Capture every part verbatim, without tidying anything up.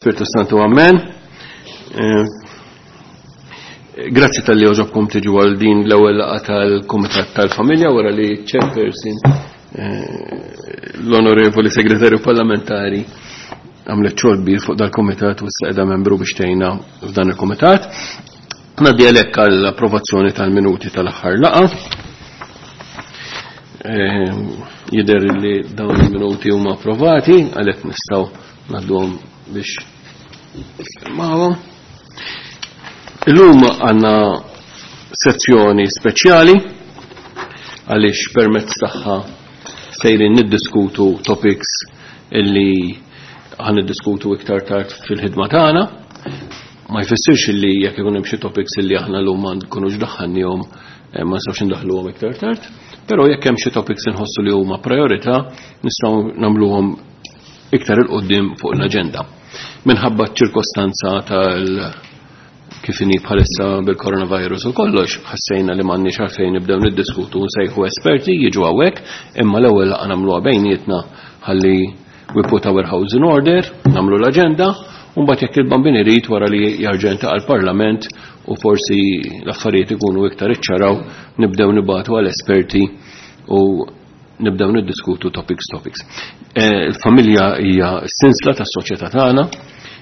Spiritu Santu, amen. Eh, grazzi talli għoġobkom tiġu għal din l-ewwel laqgħa tal-Kumitat tal-Familja wara li chairperson eh, l-Onorevoli Segretarju Parlamentari għamlet xogħol kbir fuq dal-Kumitat u issa qiegħda membru biex tgħinna f'dan il-Kumitat. Ngħaddi għalhekk għall-approvazzjoni tal-minuti tal-aħħar laqgħa. Eh, jidher li dawn il-minuti huma approvati, għalhekk nistgħu ngħadduhom biex niffirmawhom. Illum għandna sezzjoni speċjali għaliex permezz tagħha sejrin niddiskutu topics illi ħa niddiskutu iktar tard fil-ħidma tagħna. Ma jfissirx illi jekk ikun hemm xi topics illi aħna llum ma nkunux daħħalnihom eh, ma nistgħux indaħluhom iktar tard, però jekk hemm xi topics inħossu li huma priorità nistgħu nagħmluhom iktar 'il quddiem fuq l-aġenda. Minħabba ċirkostanza tal kif inhi bħalissa bil-coronavirus u kollox, ħassejna li m'għandniex għalfejn nibdew niddiskutu, nsejħu esperti jiġu hawnhekk, imma l-ewwel laqgħa nagħmluha bejnietna ħalli we put our house in order, nagħmlu l-aġenda, u mbagħad jekk il-Bambin irid, wara li jerġa' għall-Parlament u forsi l-affarijiet ikunu iktar iċċaraw, nibdew nibagħtu għal esperti u nibdew niddiskutu topics topics. Eh, il-familja hija s-sinsla tas-soċjetà tagħna.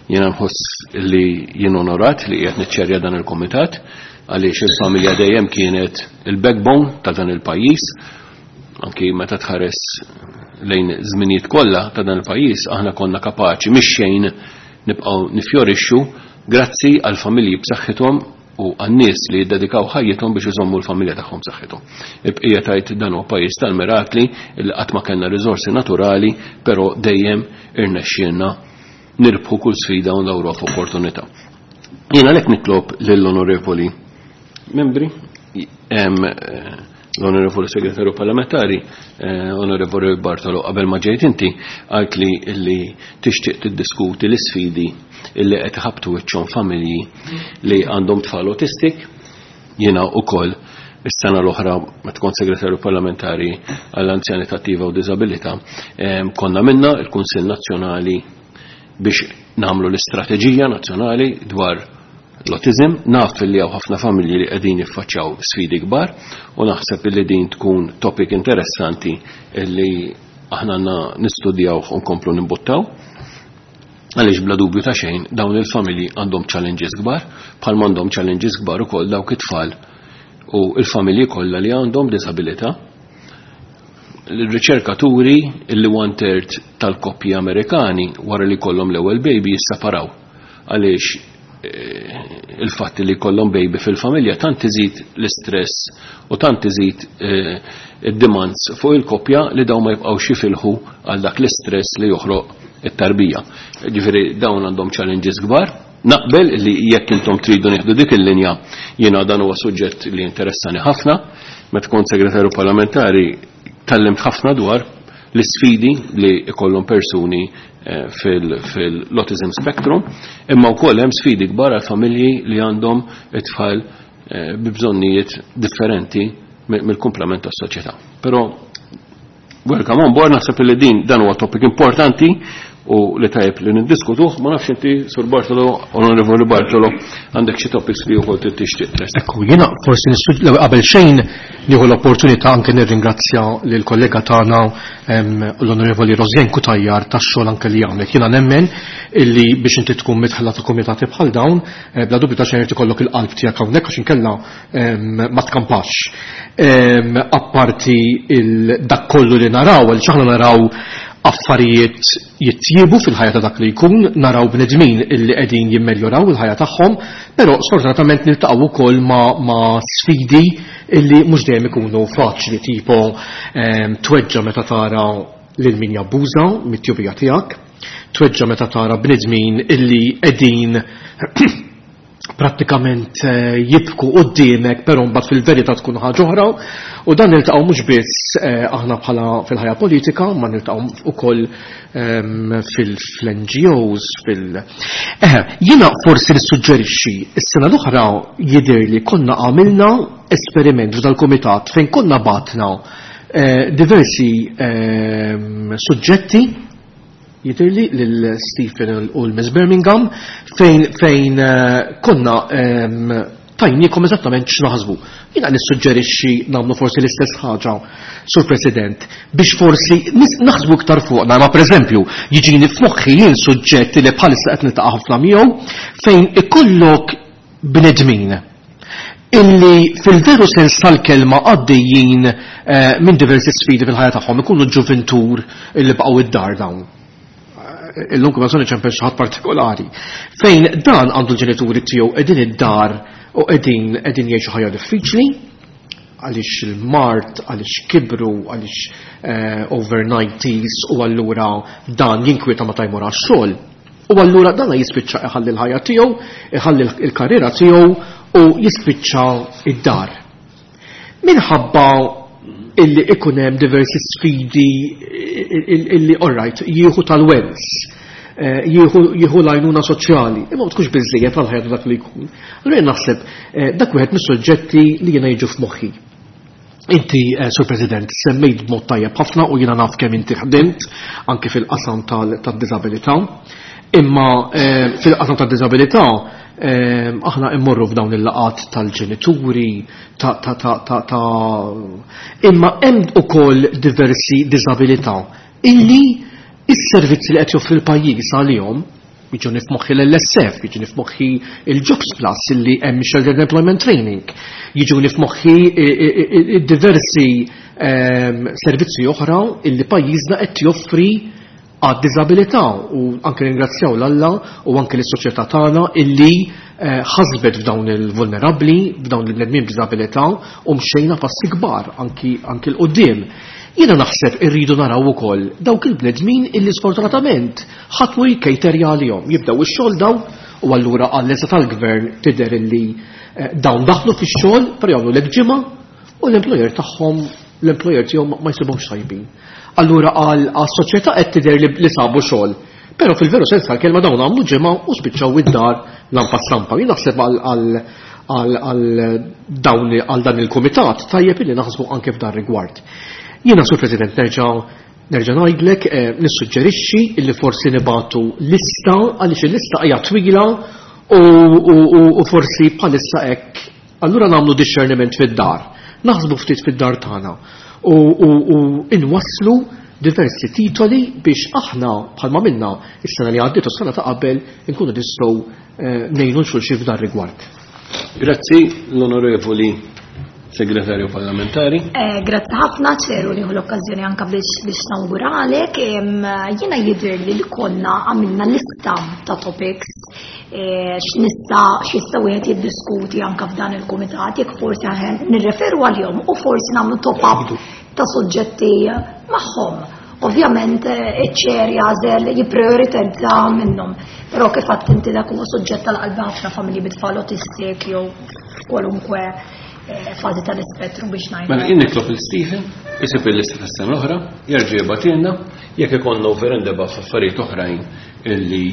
Jiena nħoss li jien onorat li qiegħed niċċerja dan il-komitat għaliex il-familja dejjem kienet il-backbone ta' dan il-pajjiż. Anki meta tħares lejn żminijiet kollha ta' dan il-pajjiż, aħna konna kapaċi mix xejn nibqgħu nifjorixxu grazzi għal familji b'saħħithom u għan-nies li jiddedikaw ħajjithom biex iżommu l-familja tagħhom b'saħħithom. Il-bqija tajt dan huwa pajjiż tal-mirakli li qatt ma kellna riżorsi naturali, però dejjem irnexxielna nirbħu kull sfida u ndawruha f'opportunità. Jiena għalhekk nitlob lill-onorevoli membri, l-Onorevoli Segretarju Parlamentari, eh, Onorevoli Bartolo, qabel ma ġejt inti, għalt li li tixtieq tiddiskuti l-isfidi illi qed iħabtu wiċċhom familji li għandhom tfal autistic. Jiena ukoll is-sena l-oħra, meta kont segretarju parlamentari għall-anzjanità attiva u diżabilità, konna minna il-Kunsill Nazzjonali biex nagħmlu l-istrateġija nazzjonali dwar l-autism. Naf li hawn ħafna familji li qegħdin jiffaċċjaw sfidi kbar u naħseb li din tkun topic interessanti li aħna għandna nistudjaw u nkomplu nimbuttaw. Għaliex bla dubju ta' xejn dawn il-familji għandhom challenges kbar, bħal għandhom challenges kbar ukoll dawk it-tfal u il-familji kollha li għandhom disabilità. L-riċerkaturi illi one third tal-koppji Amerikani wara li kollhom l-ewwel baby jissaparaw għaliex eh, il-fatt li kollhom baby fil-familja tant iżid l-istress u tant iżid eh, id-demands fuq il-koppja li dawn ma jibqgħux jifilħu għal dak l-istress li joħroq it-tarbija. Ġifieri dawn għandhom challenges kbar. Naqbel li jekk intom tridu nieħdu dik il-linja, jiena dan huwa suġġett li interessani ħafna. Meta kont segretarju parlamentari tgħallimt ħafna dwar l-isfidi li ikollhom persuni eh, fil-autism spectrum, imma wkoll hemm sfidi kbar għal familji li għandhom it-tfal eh, bi bżonnijiet differenti mill-kumplament tas-soċjetà. Però welcome on board, naħseb li din dan huwa topic importanti u li tajjeb li niddiskutuh. Ma nafx inti, Sur Bartolo, Onorevoli Bartolo, għandek xi topics li wkoll tixtieq tressaq. Ekku, jiena forsi qabel xejn nieħu l-opportunità anke nirringrazzja lill kollega tagħna, l-Onorevoli Rosianne Cutajar, tax-xogħol anke li għamlet. Jiena nemmen illi biex inti tkun midħla ta' komitati bħal dawn, eh, bla dubju ta' xejn ikollok il-qalb tiegħek hawnhekk għax inkella ma tkampax. Apparti dak kollu li naraw, għal aħna naraw affarijiet jittjiebu fil-ħajja ta' dak li jkun, naraw bnedmin illi qegħdin jimmeljoraw il-ħajja tagħhom, però sfortunatament niltaqgħu wkoll ma, ma sfidi illi mhux dejjem ikunu faċli, tipo ehm, tweġġa meta tara lil min jabbuża mit-tjubija tiegħek, tweġġa meta tara bnedmin illi qegħdin prattikament eh, jibku quddiemek, però mbagħad fil-verità tkun ħaġa oħra, u dan niltaqgħu mhux biss eh, aħna bħala fil-ħajja politika, ma niltaqgħu ukoll ehm, fil-N G Os fil Eh, jiena forsi nissuġġerixxi, is-sena l-oħra jidher li konna għamilna esperiment f'dal-kumitat fejn konna batna eh, diversi ehm, suġġetti jidhirli lil Stephen u l-Miss Birmingham fejn fejn konna tajniekom eżattament x'naħsbu. Jiena nissuġġerixxi nagħmlu forsi l-istess ħaġa, Sur President, biex forsi naħsbu iktar fuqna, ma pereżempju jiġini f'moħħi jien suġġett li bħalissa qed niltaqa' ħafna miegħu fejn ikollok bnedmin illi fil-veru sens tal-kelma għaddejjin minn diversi sfidi fil-ħajja tagħhom, ikunu ġuventur illi baqgħu id-dar dawn. Illum kemm ma ċempel xi ħadd partikolari. Fejn dan għandu l-ġenituri tiegħu qegħdin id-dar u qegħdin qegħdin jgħixu ħajja diffiċli għaliex il-mart, għaliex kibru, għaliex over nineties u allura dan jinkwieta ma tajmur għax-xogħol. U allura dan jispiċċa iħalli l-ħajja tiegħu, iħalli l-karriera tiegħu u jispiċċa id-dar. Minħabba illi ikun hemm diversi sfidi illi all right, jieħu tal-wens, jieħu l-għajnuna soċjali, imma ma tkunx biżżejjed għall-ħajja dak li jkun. Allura jien naħseb dak wieħed mis-suġġetti li jiena jiġu f'moħħi. Inti, Sur President, semmejt b'mod tajjeb ħafna u jiena naf kemm inti ħdimt anke fil-qasam tad-diżabilità. Imma fil-qasam tad-diżabilità aħna immorru f'dawn il-laqat tal-ġenituri, ta' ta' ta' ta' ta' imma hemm ukoll diversi diżabilità illi is-servizzi li qed joffri l-pajjiż għalihom, jiġuni f'moħħi l-L S F, jiġuni f'moħħi il-Jobs Plus illi hemm Sheltered Employment Training, jiġuni f'moħħi diversi servizzi oħra illi pajjiżna qed joffri għad-diżabilità u anke ringrazzjaw l-Alla u anke lis-soċjetà tagħna illi ħasbet f'dawn il-vulnerabbli, f'dawn il-bnedmin b'diżabilità u mxejna passi kbar anki anki l-qudiem. Jiena naħseb irridu naraw ukoll dawk il-bnedmin illi sfortunatament ħadd mu jkejterja għalihom, jibdew ix-xogħol daw u allura għall-eża tal-gvern tidher illi dawn daħlu fix-xogħol però jagħmlu lek ġimgħa u l-employer tagħhom l-employer tiegħu ma jsibhomx tajbin. Allura għal-soċjetà qed tidher li sabu xogħol. Però fil-veru sens tal-kelma dawn għamlu ġimgħa u spiċċaw id-dar lampa stampa. Jien naħseb għal dawn għal dan il-kumitat tajjeb illi naħsbu anke f'dan rigward. Jiena, Sur President, nerġa' nerġa' ngħidlek nissuġġerixxi illi forsi nibatu lista għaliex il-lista hija twila u forsi bħalissa hekk allura nagħmlu discerniment fid-dar. Naħsbu ftit fid-dar tagħna u inwasslu diversi titoli biex aħna bħalma minna is-sena li għaddiet u s-sena ta' qabel inkunu nistgħu ngħinu xulxin f'dan rigward. Grazzi l-Onorevoli Segretarju Parlamentari. Grazzi ħafna ċeru li l-okkażjoni anka biex biex nawguralek. Jiena jidher li konna għamilna lista ta' topics x'nista' x'jista' wieħed jiddiskuti anka f'dan il-kumitat jekk forsi nirreferu għalihom u forsi nagħmlu top up ta' suġġetti magħhom. Ovvjament iċ-ċer jażel jipprioritizza minnhom, però kif għedt inti dak huwa suġġett tal-qalbi ħafna familji bit-tfal autistik jew kwalunkwe fażi tal-ispettru biex ngħidu. Mela jien nitlob lil Stephen isib il-lista tas-sena l-oħra, jerġa' jibgħatilna jekk ikollna over and above f'affarijiet oħrajn illi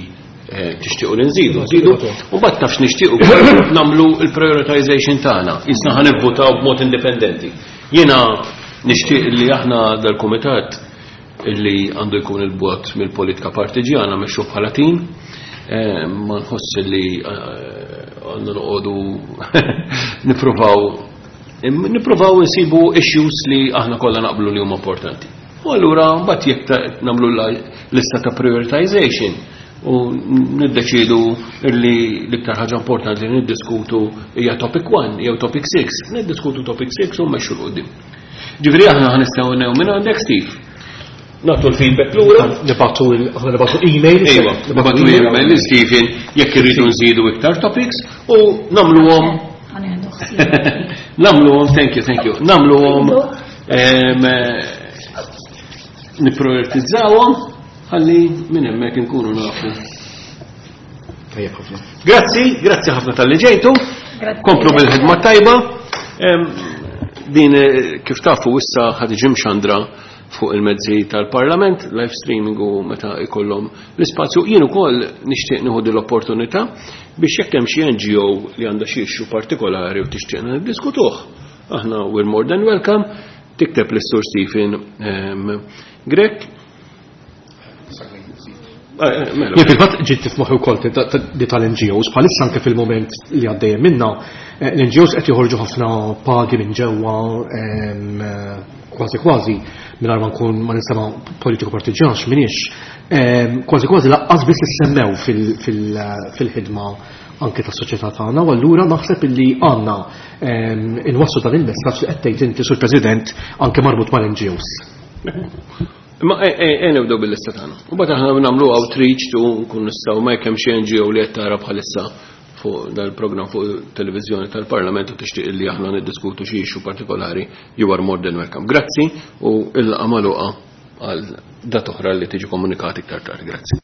tixtiequ li nżidu, nżidu, u mbagħad tafx nixtiequ nagħmlu l-prioritization tagħna, jisna ħa nivvutaw b'mod indipendenti. Jiena nixtieq li aħna dal-kumitat illi għandu jkun il-bot mill-politika partiġjana mexxu bħala tim, ma nħoss li għandna noqogħdu nippruvaw nippruvaw insibu issues li aħna kollha naqblu li huma importanti. U allura mbagħad jekk nagħmlu lista ta' prioritization u niddeċidu li l-iktar ħaġa importanti li niddiskutu hija topic one jew topic six, niddiskutu topic six u mmexxu l quddiem. Ġifieri aħna ħa nistgħu minn għandek Steve. Nagħtu l-feedback lura. Nibgħatu nibgħatu email. Ejwa, nibgħatu email lil Stephen jekk irridu nżidu iktar topics u nagħmluhom. Nagħmluhom, thank you, thank you. Nagħmluhom nipprioritizzawhom ħalli minn hemmhekk inkunu nafu. Tajjeb ħafna. Grazzi, grazzi ħafna tal-li ġejtu. Komplu bil-ħidma tajba. Din kif tafu issa ħad iġi mxandra fuq il-mezzi tal-Parlament, live streaming u meta ikollhom l-ispazju. Jien ukoll nixtieq nieħu din l-opportunità biex jekk hemm xi N G O li għandha xi issue partikolari u tixtieqna niddiskutuh. Aħna we're more than welcome. Tikteb lis-Sur Stephen Grech. Mela. Jien fil-fatt ġiet f'moħħi wkoll di tal-N G Os, bħalissa anke fil-moment li għaddejjem minna, eh, l-N G Os qed joħorġu ħafna pagi minn ġewwa, em, eh, kważi kważi mingħajr ma nkun ma nisema politiku partiġjan x'minix, em, kważi kważi lanqas biss issemmew fil- fil- fil-ħidma anke tas-soċjetà tagħna. U allura naħseb illi għandna em, inwasslu dan il-messaġġ li qed tgħid inti, Sur President, anke marbut mal-N G Os. Ma e e nibdew bil-lista tagħna. U mbagħad aħna nagħmlu outreach tu nkun nistgħu ma jekk hemm xi N G O li qed tara bħalissa fuq dal-programm fuq televiżjoni tal-Parlament u tixtieq li aħna niddiskutu xi issue partikolari, you are more than welcome. Grazzi u il-laqgħa magħluqa għal data oħra li tiġi komunikati iktar tard. Grazzi.